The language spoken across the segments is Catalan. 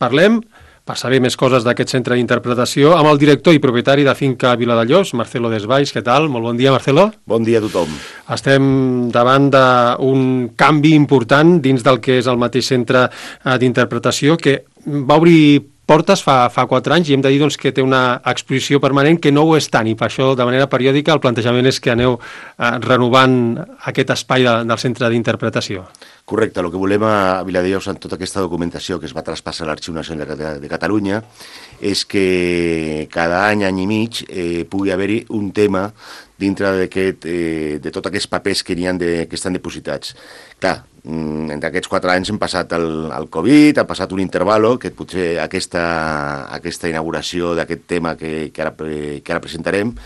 Parlem, per saber més coses d'aquest centre d'interpretació, amb el director i propietari de Finca Viladellós, Marcelo Desvalls. Què tal? Molt bon dia, Marcelo. Bon dia a tothom. Estem davant d'un canvi important dins del que és el mateix centre d'interpretació, que va obrir portes fa 4 anys i hem de dir que té una exposició permanent que no ho és tant, i per això de manera periòdica el plantejament és que aneu renovant aquest espai del centre d'interpretació. Correcte, el que volem a Viladellós amb tota aquesta documentació que es va traspassar a l'Arxiu Nacional de Catalunya és que cada any i mig pugui haver-hi un tema dintre de tots aquests papers que estan dipositats. Clar, entre aquests 4 anys hem passat el Covid, ha passat un intervalo, que potser aquesta inauguració d'aquest tema que ara presentarem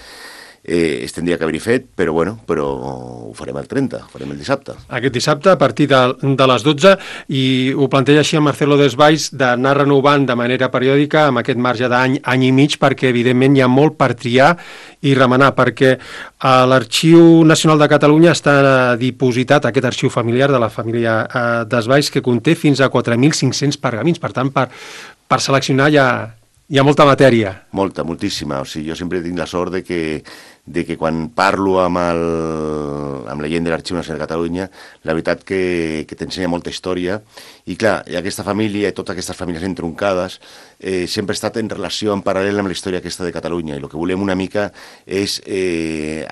es tindria que haver-hi fet, però ho farem el 30, ho farem el dissabte. Aquest dissabte, a partir de les 12, i ho planteja així el Marcelo Desvalls, d'anar renovant de manera periòdica amb aquest marge d'any i mig, perquè evidentment hi ha molt per triar i remenar, perquè a l'Arxiu Nacional de Catalunya està dipositat aquest arxiu familiar de la família Desvalls, que conté fins a 4.500 pergamins. Per tant, per seleccionar hi ha molta matèria. Moltíssima. O sigui, jo sempre tinc la sort de que quan parlo amb la gent de l'Arxiu Nacional de Catalunya, la veritat que t'ensenya molta història. I clar, aquesta família i totes aquestes famílies entroncades sempre ha estat en relació, en paral·lel amb la història aquesta de Catalunya. I el que volem una mica és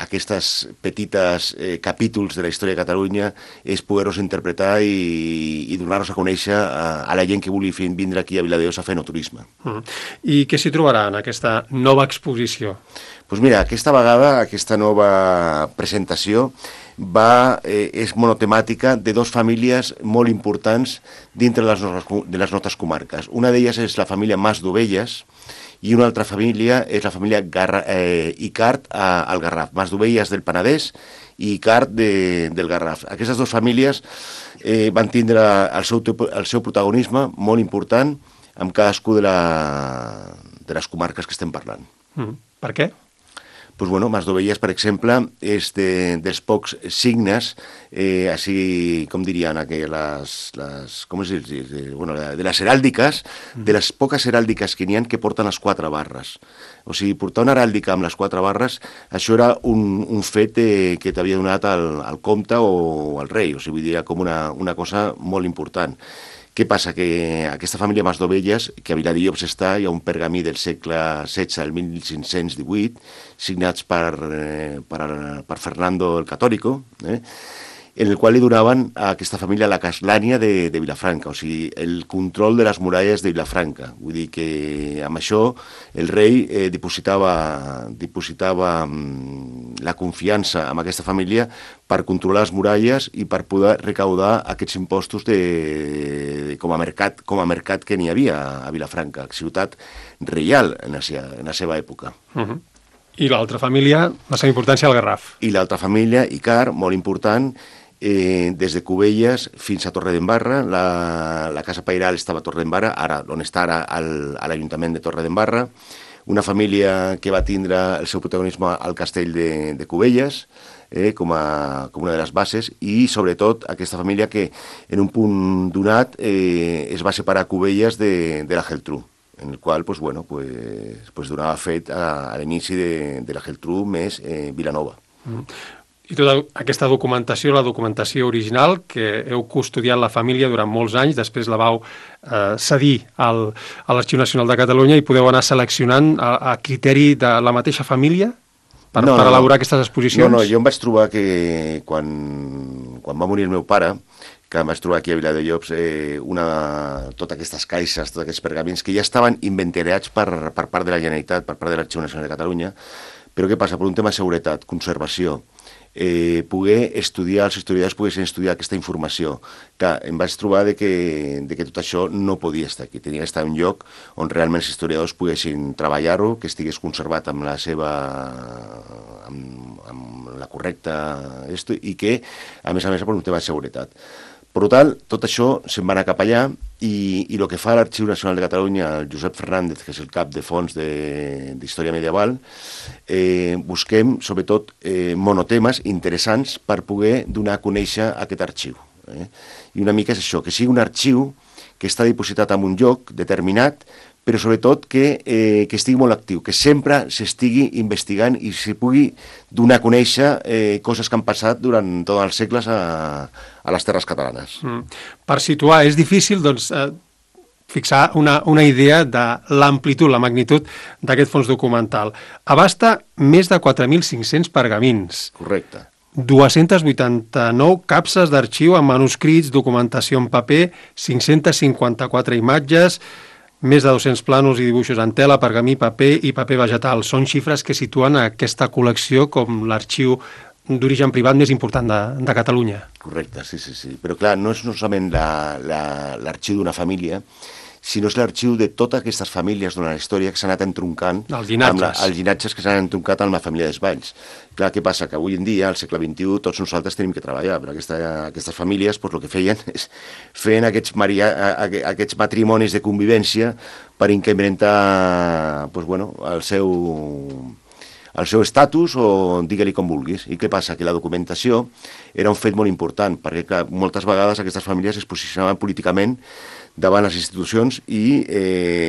aquestes petites capítols de la història de Catalunya, és poder-los interpretar i donar-los a conèixer a la gent que vulgui vindre aquí a Viladellós a fer enoturisme. I què s'hi trobarà en aquesta nova exposició? Doncs mira, aquesta vegada, aquesta nova presentació és monotemàtica de 2 famílies molt importants dintre de les nostres comarques. Una d'elles és la família Mas d'Ovelles i una altra família és la família Icart al Garraf. Mas d'Ovelles del Penedès i Icart del Garraf. Aquestes 2 famílies van tindre el seu protagonisme molt important amb cadascú de les comarques que estem parlant. Per què? Doncs Mas d'Ovelles, per exemple, és dels pocs signes, així com dirien de les heràldiques, de les poques heràldiques que n'hi ha que porten les 4 barres. O sigui, portar una heràldica amb les 4 barres, això era un fet que t'havia donat el comte o el rei, o sigui, vull dir, com una cosa molt important. Què passa? Que aquesta família Mas d'Ovelles, que a Viladellós està, hi ha un pergamí del segle XVI, el 1518, signats per Fernando el Católico, en el qual li donaven a aquesta família la castlania de Vilafranca, o sigui, el control de les muralles de Vilafranca. Vull dir que amb això el rei dipositava la confiança en aquesta família per controlar les muralles i per poder recaudar aquests impostos com a mercat que n'hi havia a Vilafranca, ciutat reial en la seva època. I l'altra família, la seva importància al Garraf. I l'altra família, Icart, molt important, des de Cubelles fins a Torredembarra. La casa pairal estava a Torredembarra, on està ara a l'Ajuntament de Torredembarra. Una família que va tindre el seu protagonisme al castell de Cubelles, com una de les bases, i sobretot aquesta família que en un punt donat es va separar Cubelles de la Geltrú, en el qual donava fet a l'inici de la Geltrú més Vilanova. I tota aquesta documentació, la documentació original, que heu custodiat la família durant molts anys, després la vau cedir a l'Arxiu Nacional de Catalunya i podeu anar seleccionant a criteri de la mateixa família per elaborar aquestes exposicions? No, jo em vaig trobar que quan va morir el meu pare, que em vaig trobar aquí a Viladellós totes aquestes caixes, tots aquests pergamins que ja estaven inventariats per part de la Generalitat, per part de l'Arxiu Nacional de Catalunya, però què passa? Per un tema de seguretat, conservació, els historiadors poguessin estudiar aquesta informació. Clar, em vaig trobar que tot això no podia estar aquí, tenia d'estar en un lloc on realment els historiadors poguessin treballar-ho, que estigués conservat amb la correcta i que, a més, per un tema de seguretat. Per tant, tot això se'n va anar cap allà i el que fa l'Arxiu Nacional de Catalunya, el Josep Fernández, que és el cap de fons d'Història Medieval, busquem, sobretot, monotemes interessants per poder donar a conèixer aquest arxiu. I una mica és això, que sigui un arxiu que està dipositat en un lloc determinat, però sobretot que estigui molt actiu, que sempre s'estigui investigant i s'hi pugui donar a conèixer coses que han passat durant tots els segles a les terres catalanes. Per situar, és difícil, doncs, fixar una idea de l'amplitud, la magnitud d'aquest fons documental. Abasta més de 4.500 pergamins. Correcte. 289 capses d'arxiu amb manuscrits, documentació en paper, 554 imatges, més de 200 plànols i dibuixos en tela, pergamí, paper i paper vegetal. Són xifres que situen aquesta col·lecció com l'arxiu d'origen privat més important de Catalunya. Correcte, sí. Però clar, no és solament l'arxiu d'una família, sinó és l'arxiu de totes aquestes famílies durant la història que s'han anat entroncant, els llinatges. Els llinatges que s'han entroncat amb la família Desvalls. Clar, què passa? Que avui en dia, al segle XXI, tots nosaltres tenim que treballar, però aquestes famílies el que feien és feien aquests matrimonis de convivència per incrementar el seu estatus o digue-li com vulguis. I què passa? Que la documentació era un fet molt important, perquè clar, moltes vegades aquestes famílies es posicionaven políticament davant les institucions i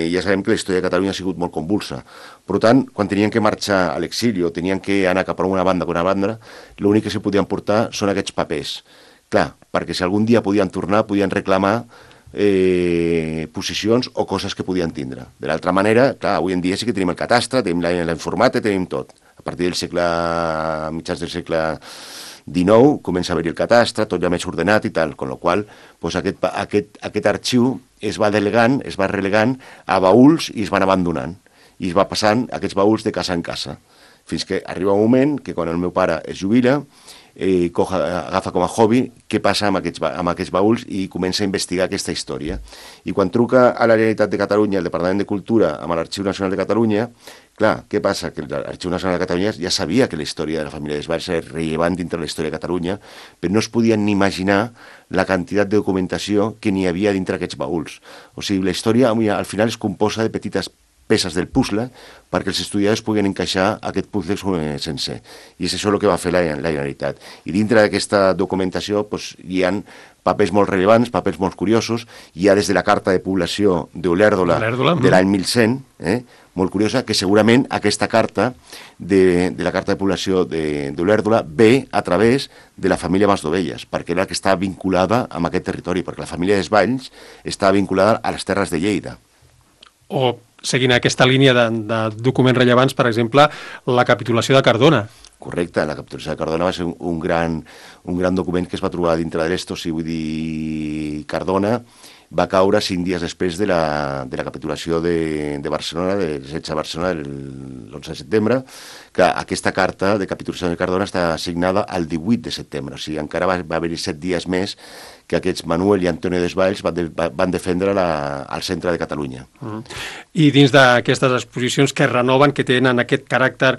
ja sabem que la història de Catalunya ha sigut molt convulsa. Per tant, quan tenien que marxar a l'exili o tenien que anar cap a una banda o una banda, l'únic que se podien portar són aquests papers. Clar, perquè si algun dia podien tornar, podien reclamar posicions o coses que podien tindre. De l'altra manera, clar, avui en dia sí que tenim el catastre, tenim la informàtica, tenim tot. A partir mitjans del segle XIX comença a haver-hi el catastre, tot ja més ordenat i tal, amb la qual cosa aquest arxiu es va relegant a baúls i es van abandonant. I es va passant aquests baúls de casa en casa, fins que arriba un moment que quan el meu pare es jubila, agafa com a hobby què passa amb aquests baúls i comença a investigar aquesta història. I quan truca a la Generalitat de Catalunya, al Departament de Cultura, amb l'Arxiu Nacional de Catalunya, clar, què passa? Que l'Arxiu Nacional de Catalunya ja sabia que la història de la família Desvalls era rellevant dintre la història de Catalunya, però no es podien ni imaginar la quantitat de documentació que n'hi havia dintre aquests baúls. O sigui, la història al final es composa de petites peces del puzzle perquè els estudiants puguin encaixar aquest puzzle sencer. I és això el que va fer la Generalitat. I dintre d'aquesta documentació hi ha papers molt rellevants, papers molt curiosos. Hi ha des de la carta de població d'Olèrdola de l'any 1100, molt curiosa, que segurament aquesta carta de la carta de població d'Olèrdola ve a través de la família Masdovelles, perquè era la que estava vinculada amb aquest territori, perquè la família Desvalls estava vinculada a les terres de Lleida. O, seguint aquesta línia de documents rellevants, per exemple, la capitulació de Cardona. Correcte, la capitulació de Cardona va ser un gran document que es va trobar dintre de l'Esto, si vull dir Cardona, va caure 5 dies després de la capitulació de Barcelona, del setge de Barcelona, l'11 de setembre, que aquesta carta de capitulació de Cardona està signada el 18 de setembre, o sigui, encara va haver-hi 7 dies més que aquests Manuel i Antonio Desvalls van defendre al centre de Catalunya. I dins d'aquestes exposicions que renoven, que tenen aquest caràcter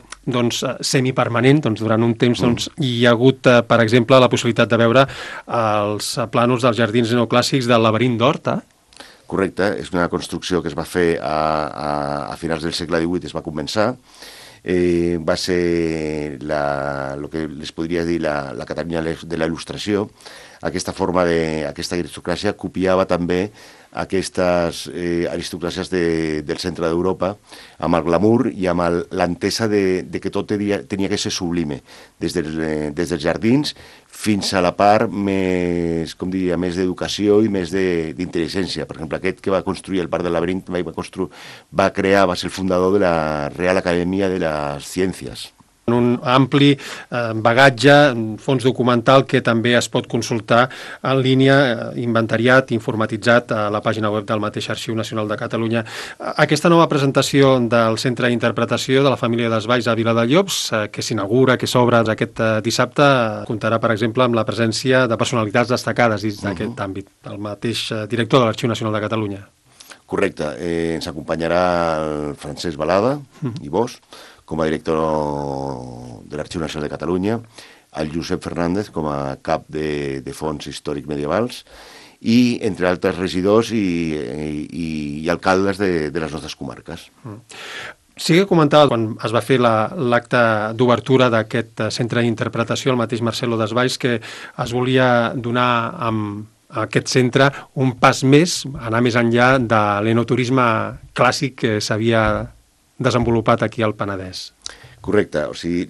semipermanent, durant un temps hi ha hagut, per exemple, la possibilitat de veure els plànols dels jardins neoclàssics del Laberint d'Horta. Correcte, és una construcció que es va fer a finals del segle XVIII, es va començar. Va ser el que les podria dir la Catalunya de la Il·lustració. Aquesta forma aquesta aristocràcia copiava també aquestes aristocràcies del centre d'Europa amb el glamour i amb l'entesa de que tot tenia que ser sublime, des dels jardins fins a la part més, com diria, més d'educació i més d'intel·ligència. Per exemple, aquest que va construir el Parc del Laberint va ser el fundador de la Real Acadèmia de les Ciències. Un ampli bagatge, un fons documental que també es pot consultar en línia, inventariat, informatitzat a la pàgina web del mateix Arxiu Nacional de Catalunya. Aquesta nova presentació del Centre d'Interpretació de la família Desvalls a Viladellops, que s'inaugura, que s'obre aquest dissabte, comptarà, per exemple, amb la presència de personalitats destacades dins d'aquest àmbit, el mateix director de l'Arxiu Nacional de Catalunya. Correcte. Ens acompanyarà el Francesc Balada i Bosch, com a director de l'Arxiu Nacional de Catalunya, el Josep Fernández com a cap de fons històrics medievals i, entre altres regidors i alcaldes de les nostres comarques. Sí que comentava, quan es va fer l'acte d'obertura d'aquest centre d'interpretació, el mateix Marcelo Desvalls, que es volia donar amb aquest centre un pas més, anar més enllà de l'enoturisme clàssic que s'havia desenvolupat aquí al Penedès. Correcte, o sigui,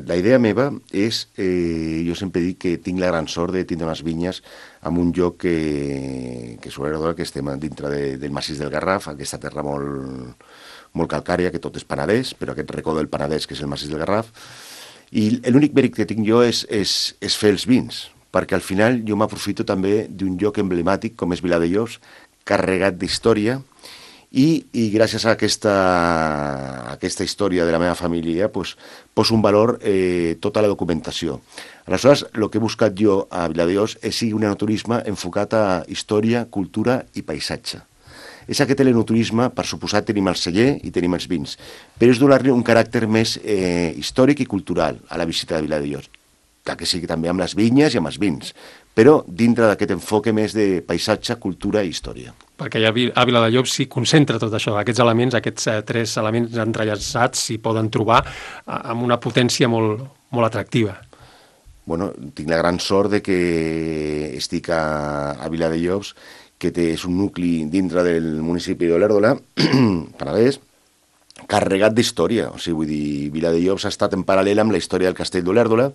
la idea meva és, jo sempre dic que tinc la gran sort de tindre unes vinyes en un lloc que sobretot que estem dintre del massís del Garraf, aquesta terra molt calcària, que tot és Penedès, però aquest racó del Penedès, que és el massís del Garraf, i l'únic mèrit que tinc jo és fer els vins, perquè al final jo m'aprofito també d'un lloc emblemàtic com és Viladejós, carregat d'història, i gràcies a aquesta història de la meva família poso un valor tota la documentació. Aleshores, el que he buscat jo a Viladejós és sigui un enoturisme enfocat a història, cultura i paisatge. És aquest enoturisme, per suposat, tenim el celler i tenim els vins, però és donar-li un caràcter més històric i cultural a la visita de Viladejós, que sigui també amb les vinyes i amb els vins, però dintre d'aquest enfoque més de paisatge, cultura i història. Perquè a Viladejós s'hi concentra tot això, aquests elements, aquests 3 elements entrellaçats s'hi poden trobar amb una potència molt atractiva. Bueno, tinc la gran sort de que estic a Viladejós, que és un nucli dintre del municipi d'Olèrdola, Penedès, carregat d'història. O sigui, vull dir, Viladejós ha estat en paral·lel amb la història del castell d'Olèrdola.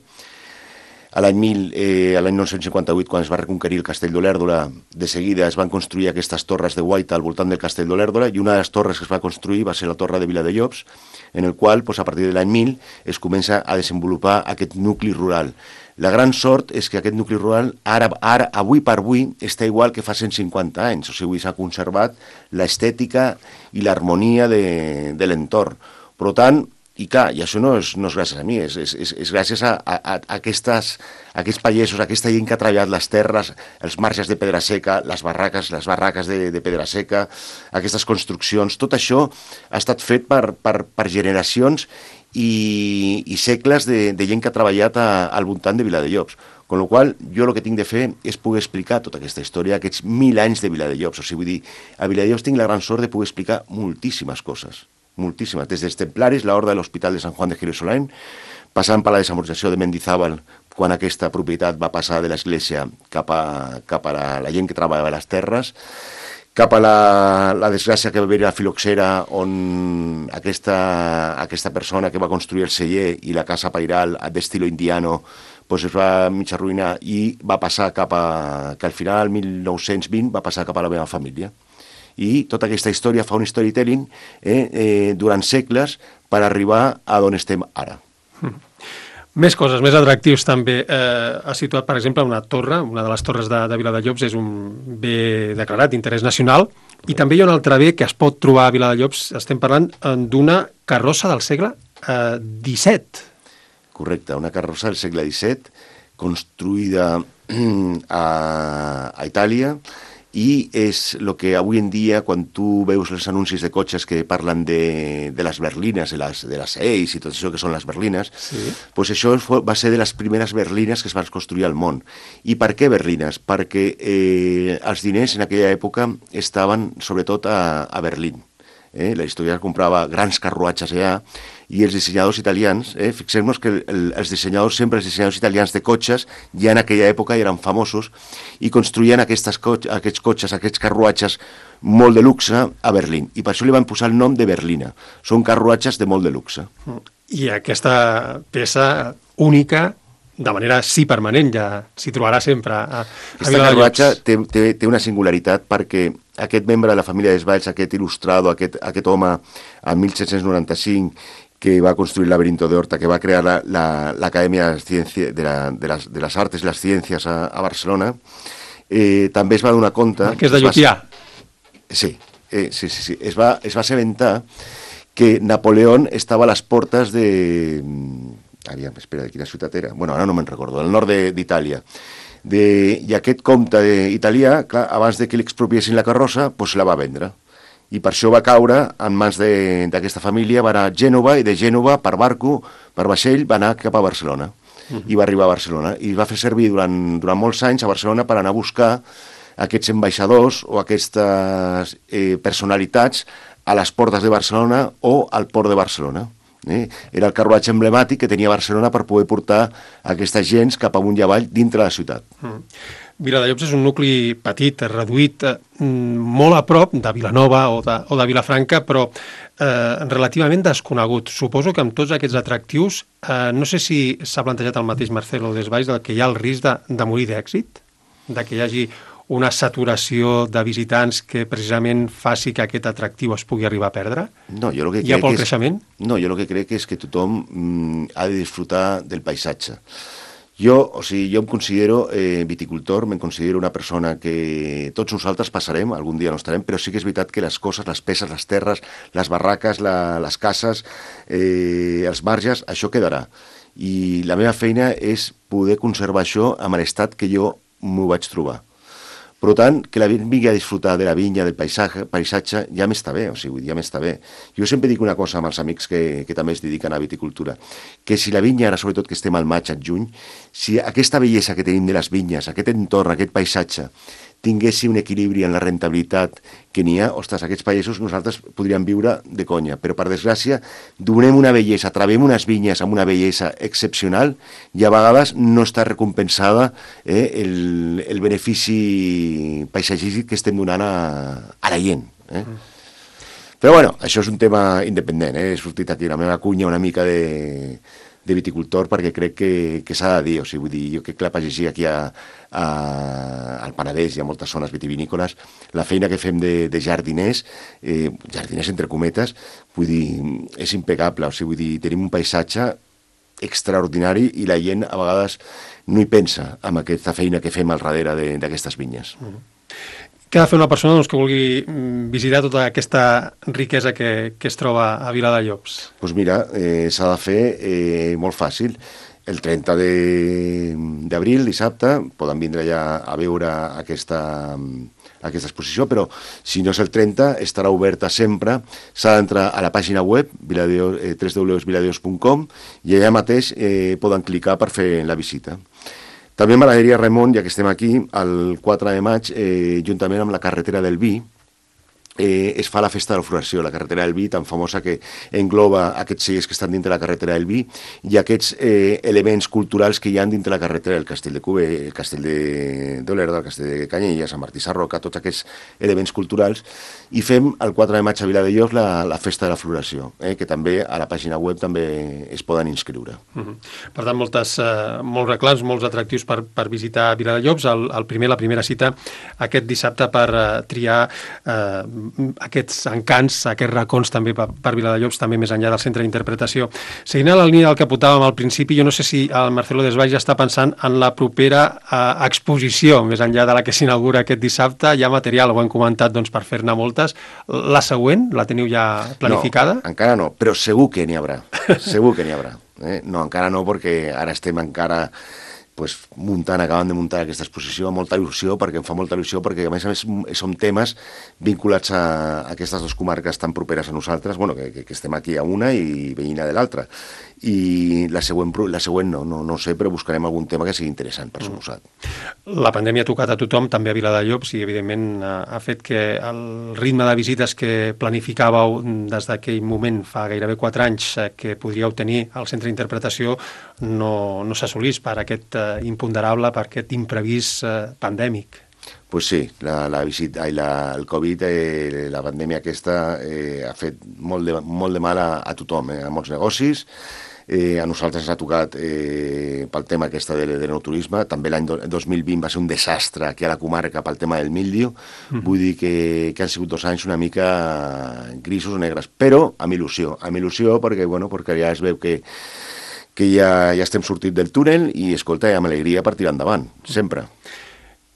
A l'any 1958, quan es va reconquerir el castell d'Olèrdola, de seguida es van construir aquestes torres de guaita al voltant del castell d'Olèrdola, i una de les torres que es va construir va ser la torre de Viladejós, en el qual, a partir de l'any 1000, es comença a desenvolupar aquest nucli rural. La gran sort és que aquest nucli rural, ara avui per avui, està igual que fa 150 anys. O sigui, s'ha conservat l'estètica i l'harmonia de l'entorn. Per tant, i clar, i això no és gràcies a mi, és gràcies a aquests pagesos, a aquesta gent que ha treballat les terres, els marges de pedra seca, les barraques de pedra seca, aquestes construccions, tot això ha estat fet per generacions i segles de gent que ha treballat al voltant de Viladejós. Con la qual jo el que tinc de fer és poder explicar tota aquesta història, aquests 1000 anys de Viladejós. O sigui, vull dir, a Viladejós tinc la gran sort de poder explicar moltíssimes coses. Moltíssimes, des dels templaris, l'Horda de l'Hospital de Sant Juan de Jerusalén, passant per la desamortització de Mendizábal, quan aquesta propietat va passar de l'església cap a la gent que treballava a les terres, cap a la desgràcia que va haver a Filoxera, on aquesta persona que va construir el celler i la casa pairal d'estilo indiano es va mig arruïnar i va passar que al final, al 1920, va passar cap a la meva família. I tota aquesta història fa un storytelling durant segles per arribar a on estem ara. Més coses, més atractius també. Ha situat, per exemple, una torre, una de les torres de Viladejós és un bé declarat d'interès nacional, i també hi ha un altre bé que es pot trobar a Viladejós. Estem parlant d'una carrossa del segle XVII. Correcte, una carrossa del segle XVII, construïda a Itàlia, i és el que avui en dia, quan tu veus els anuncis de cotxes que parlen de les berlines, de les Eis i tot això que són les berlines, sí. Doncs això va ser de les primeres berlines que es van construir al món. I per què berlines? Perquè els diners en aquella època estaven sobretot a Berlín. La història comprava grans carruatges allà, i els dissenyadors italians, fixem-nos que els dissenyadors italians de cotxes ja en aquella època eren famosos i construïen aquests cotxes, aquests carruatges molt de luxe a Berlín, i per això li van posar el nom de berlina. Són carruatges de molt de luxe. I aquesta peça única, de manera permanent, ja s'hi trobarà sempre a Aquesta carruatge té una singularitat, perquè aquest membre de la família Desvalls, aquest il·lustrado, aquest home, en 1795, que va construir el laberinto de Horta, que va crear l'Acadèmia de les Artes i les Ciències a Barcelona, també es va donar compte... Que és de Llupià. Sí. Es va assabentar que Napoleón estava a les portes de... Espera, de quina ciutat era? Bueno, ara no me'n recordo, del nord d'Itàlia. I aquest comte italià, clar, abans de que li expropiessin la carrossa, doncs la va vendre. I per això va caure en mans d'aquesta família, va anar a Gènova, i de Gènova, per barco, per vaixell, va anar cap a Barcelona. I va arribar a Barcelona. I va fer servir durant molts anys a Barcelona per anar a buscar aquests ambaixadors o aquestes personalitats a les portes de Barcelona o al port de Barcelona. Era el carruatge emblemàtic que tenia Barcelona per poder portar aquestes gens cap amunt i avall dintre la ciutat. Viladejobs és un nucli petit, reduït, molt a prop de Vilanova o de Vilafranca, però relativament desconegut. Suposo que amb tots aquests atractius, no sé si s'ha plantejat el mateix Marcelo Desvalls, que hi ha el risc de morir d'èxit, de que hi hagi una saturació de visitants que precisament faci que aquest atractiu es pugui arribar a perdre? No, jo el que hi ha poc creixement? No, jo el que crec és que tothom ha de disfrutar del paisatge. Jo em considero viticultor, me'n considero una persona que tots nosaltres passarem, algun dia no estarem, però sí que és veritat que les coses, les peces, les terres, les barraques, les cases, els marges, això quedarà. I la meva feina és poder conservar això amb l'estat que jo m'ho vaig trobar. Per tant, que la gent vingui a disfrutar de la vinya, del paisatge, ja m'està bé, ja m'està bé. Jo sempre dic una cosa amb els amics que també es dediquen a viticultura, que si la vinya, ara sobretot que estem al maig, al juny, si aquesta bellesa que tenim de les vinyes, aquest entorn, aquest paisatge, tinguessi un equilibri en la rentabilitat que n'hi ha, ostres, aquests països nosaltres podríem viure de conya, però per desgràcia donem una bellesa, travem unes vinyes amb una bellesa excepcional i a vegades no està recompensada el benefici paisatgístic que estem donant a la gent. Però bueno, això és un tema independent, he sortit aquí la meva cunya una mica de viticultor perquè crec que s'ha de dir, o sigui, vull dir, jo crec que la pagesia aquí al Penedès i a moltes zones vitivinícoles, la feina que fem de jardiners, jardiners entre cometes, vull dir, és impecable, o sigui, vull dir, tenim un paisatge extraordinari i la gent a vegades no hi pensa amb aquesta feina que fem al darrere d'aquestes vinyes. Què ha de fer una persona que vulgui visitar tota aquesta riquesa que es troba a Viladejobs? Doncs mira, s'ha de fer molt fàcil. El 30 d'abril, dissabte, poden vindre ja a veure aquesta exposició, però si no és el 30, estarà oberta sempre. S'ha d'entrar a la pàgina web, www.viladejobs.com, i allà mateix poden clicar per fer la visita. També m'agradaria, Ramon, ja que estem aquí, el 4 de maig, juntament amb la carretera del Vi, es fa la festa de la floració, la carretera del Vi, tan famosa que engloba aquests cellers que estan dintre la carretera del Vi i aquests elements culturals que hi ha dintre la carretera del Castell de Cuber, el Castell d'Olerda, el Castell de Canyelles, Sant Martí Sarroca, tots aquests elements culturals, i fem el 4 de maig a Viladejobs la festa de la floració, que també a la pàgina web també es poden inscriure. Per tant, molts reclams, molts atractius per visitar Viladejobs. La primera cita aquest dissabte per triar aquests encants, aquests racons també per Viladejobs, també més enllà del centre d'interpretació. Seguint la línia del que apuntàvem al principi, jo no sé si el Marcelo Desvalls ja està pensant en la propera exposició, més enllà de la que s'inaugura aquest dissabte. Hi ha material, ho hem comentat, doncs, per fer-ne moltes. La següent, la teniu ja planificada? No, encara no, però segur que n'hi haurà. Segur que n'hi haurà. No, encara no, perquè ara estem encara acabant de muntar aquesta exposició amb molta il·lusió, perquè em fa molta il·lusió, perquè a més són temes vinculats a aquestes dues comarques tan properes a nosaltres, que estem aquí a una i veïna de l'altra. I la següent no sé, però buscarem algun tema que sigui interessant, per suposat. La pandèmia ha tocat a tothom, també a Viladejobs, i evidentment ha fet que el ritme de visites que planificàveu des d'aquell moment, fa gairebé 4 anys, que podríeu tenir al centre d'interpretació, no s'assolís per aquest imponderable, per aquest imprevist pandèmic. Pues sí, el Covid, la pandèmia aquesta ha fet molt de mal a tothom, a molts negocis. A nosaltres ens ha tocat pel tema aquesta de l'enoturisme. També l'any 2020 va ser un desastre aquí a la comarca pel tema del míldiu. Vull dir que han sigut 2 anys una mica grisos o negres, però amb il·lusió perquè ja es veu que ja estem sortint del túnel i, escolta, amb alegria per tirar endavant, sempre.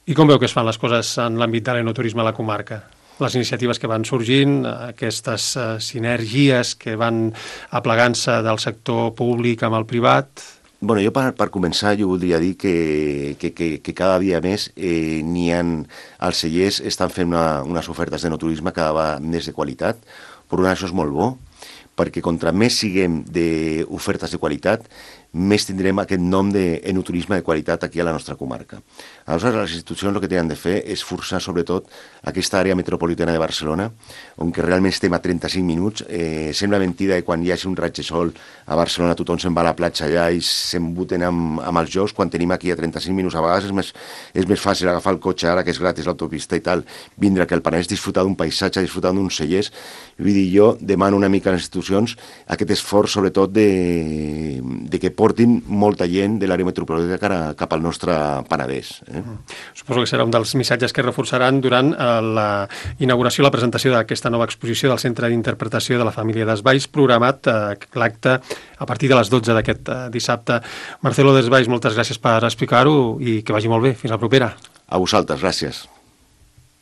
I com veu que es fan les coses en l'àmbit de l'enoturisme a la comarca? Les iniciatives que van sorgint, aquestes sinergies que van aplegant-se del sector públic amb el privat? Jo per començar jo voldria dir que cada dia més els cellers estan fent unes ofertes d'enoturisme cada vegada més de qualitat, per això és molt bo, perquè contra més siguem d'ofertes de qualitat, més tindrem aquest nom d'enoturisme de qualitat aquí a la nostra comarca. Aleshores, les institucions el que tenen de fer és forçar sobretot aquesta àrea metropolitana de Barcelona, on que realment estem a 35 minuts. Sembla mentida que quan hi hagi un raig de sol a Barcelona tothom se'n va a la platja allà i s'embuten amb els jocs, quan tenim aquí a 35 minuts. A vegades és més fàcil agafar el cotxe ara que és gratis l'autopista i tal, vindre aquí al Penedès, disfrutar d'un paisatge, disfrutar d'uns cellers. Vull dir, jo demano una mica a les institucions aquest esforç sobretot de que portin molta gent de l'àrea metropolitana cap al nostre Penedès. Suposo que serà un dels missatges que reforçaran durant la inauguració, la presentació d'aquesta nova exposició del Centre d'Interpretació de la Família Desvalls, programat l'acte a partir de les 12 d'aquest dissabte. Marcelo Desvalls, moltes gràcies per explicar-ho i que vagi molt bé. Fins la propera. A vosaltres, gràcies.